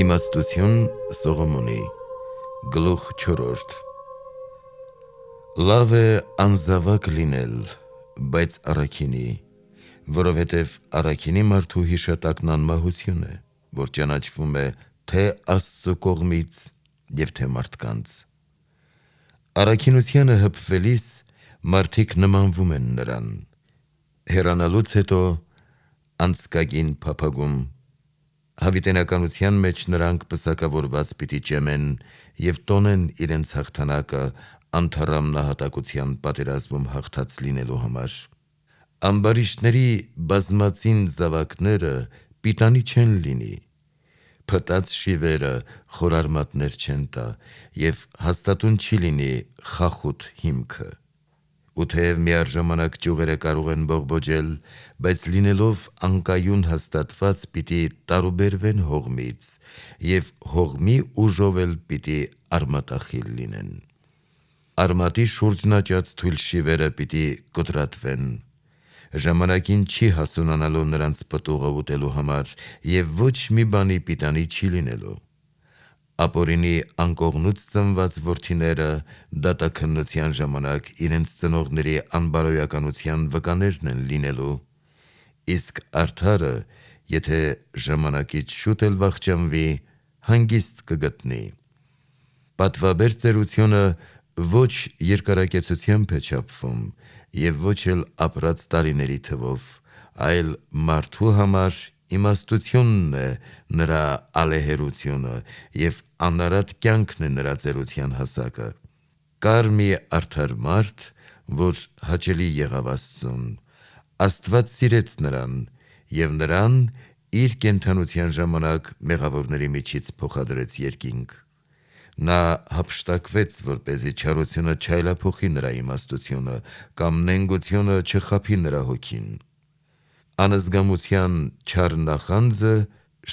Իմաստություն Սողոմոնի Գլուխ 4 Լավ է անզավակ լինել, բայց առաքինի, որովհետև առաքինի մարդու հիշատակն անմահություն է, որ ճանաչվում է թե Աստծու կողմից և թե մարդկանց։ Առաքինությանը հպվելիս մարդիկ նմանվում են նրան, հեռանալուց հետո անցկագին փափագում, հավիտենականության մեջ նրանք պսակավորված պիտի ճեմեն և տոնեն իրենց հաղթանակը անթառամ նահատակության պատերազմում հաղթած լինելու համար։ Ամբարիշտների բազմածին զավակները պիտանի չեն լինի, փտած շիվերը խորարմատներ չեն տա և հաստատուն չի լինի խախուտ հիմքը։ Ու թեև միառժամանակ ճյուղերը կարող են բողբոջել, բայց լինելով անկայուն հաստատված պիտի տարուբերվեն հողմից և հողմի ուժով էլ պիտի արմատախիլ լինեն։ Արմատի շուրջն աճած թույլ շիվերը պիտի կոտրատվեն, ժամանակին չի հասունանալու նրանց պտուղը ուտելու համար և ոչ մի բանի պիտանի չի լինելու։ Ապօրինի անկողնուց ծնված որդիները դատաքննության ժամանակ իրենց ծնողների անբարոյականության վկաներն են լինելու, իսկ արդարը, եթե ժամանակից շուտ էլ վախճանվի, հանգիստ կգտնի։ Պատվաբեր ծերությունը ոչ երկարակեցությամբ է չափվում և ոչ էլ ապրած տարիների թվով, այլ մարդու համար իմաստությունն է նրա ալեհերությունը և անարատ կյանքն է նրա ծերության հասակը։ Կար մի արդար մարդ, որ հաճելի եղավ Աստծուն, Աստված սիրեց նրան և նրան իր կենդանության ժամանակ մեղավորների միջից փոխադրեց երկինք։ Նա հափշտակվեց, որպեսզի չարությունը չայլափոխի նրա իմաստությունը կամ նենգությունը չխաբի նրա հոգին։ Անզգամության չար նախանձը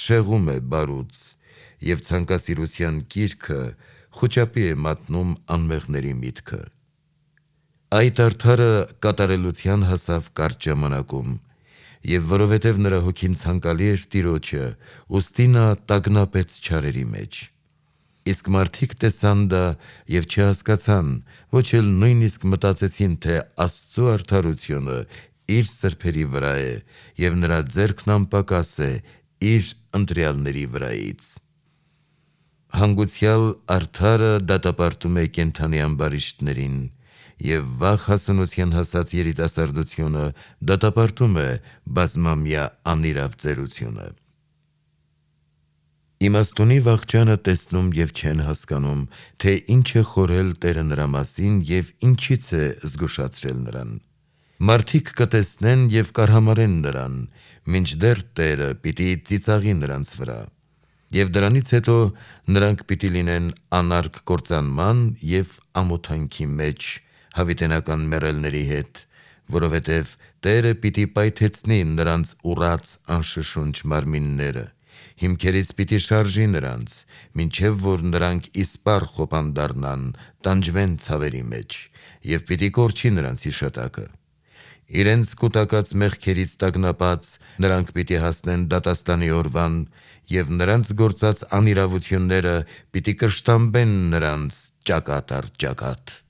շեղում է բարուց, և ցանկասիրության կիրքը խուճապի է մատնում անմեղների միտքը։ Այդ արդարը կատարելության հասավ կարճ ժամանակում, և որովհետև նրա հոգին ցանկալի էր Տիրոջը, ուստի նա տագնապեց չարերի մեջ։ Իսկ մարդիկ տեսան դա և չհասկացան, ոչ էլ նույնիսկ մտածեցին, թե Աստծու արդարությունը իր սրբերի վրա է և նրա ձեռքն անպակաս է իր ընտրյալների վրայից։ Հանգուցյալ արդարը դատապարտում է կենդանի ամբարիշտներին, և վաղ հասունության հասած երիտասարդությունը դատապարտում է բազմամյա անիրավ ծերությունը։ Իմաստունի վախճանը տեսնում և չեն հասկանում, թե ինչ է խորհել Տերը նրա մասին և ինչից է զգուշացրել նրան։ Մարդիկ կտեսնեն և կարհամարեն նրան, մինչդեռ Տերը պիտի ծիծաղի նրանց վրա։ Եվ դրանից հետո նրանք պիտի լինեն անարգ կործանման և ամոթանքի մեջ հավիտենական մեռելների հետ, որովհետև Տերը պիտի պայթեցնի նրանց ուռած անշշունչ մարմինները, հիմքերից պիտի շարժի նրանց, մինչև որ նրանք իսպառ խոպան դառնան, տանջվեն ցավերի մեջ, և պիտի կորչի նրանց հիշատակը։ Իրենց կուտակած մեղքերից տագնապած նրանք պիտի հասնեն դատաստանի օրվան, և նրանց գործած անիրավությունները պիտի կշտամբեն նրանց ճակատ առ ճակատ։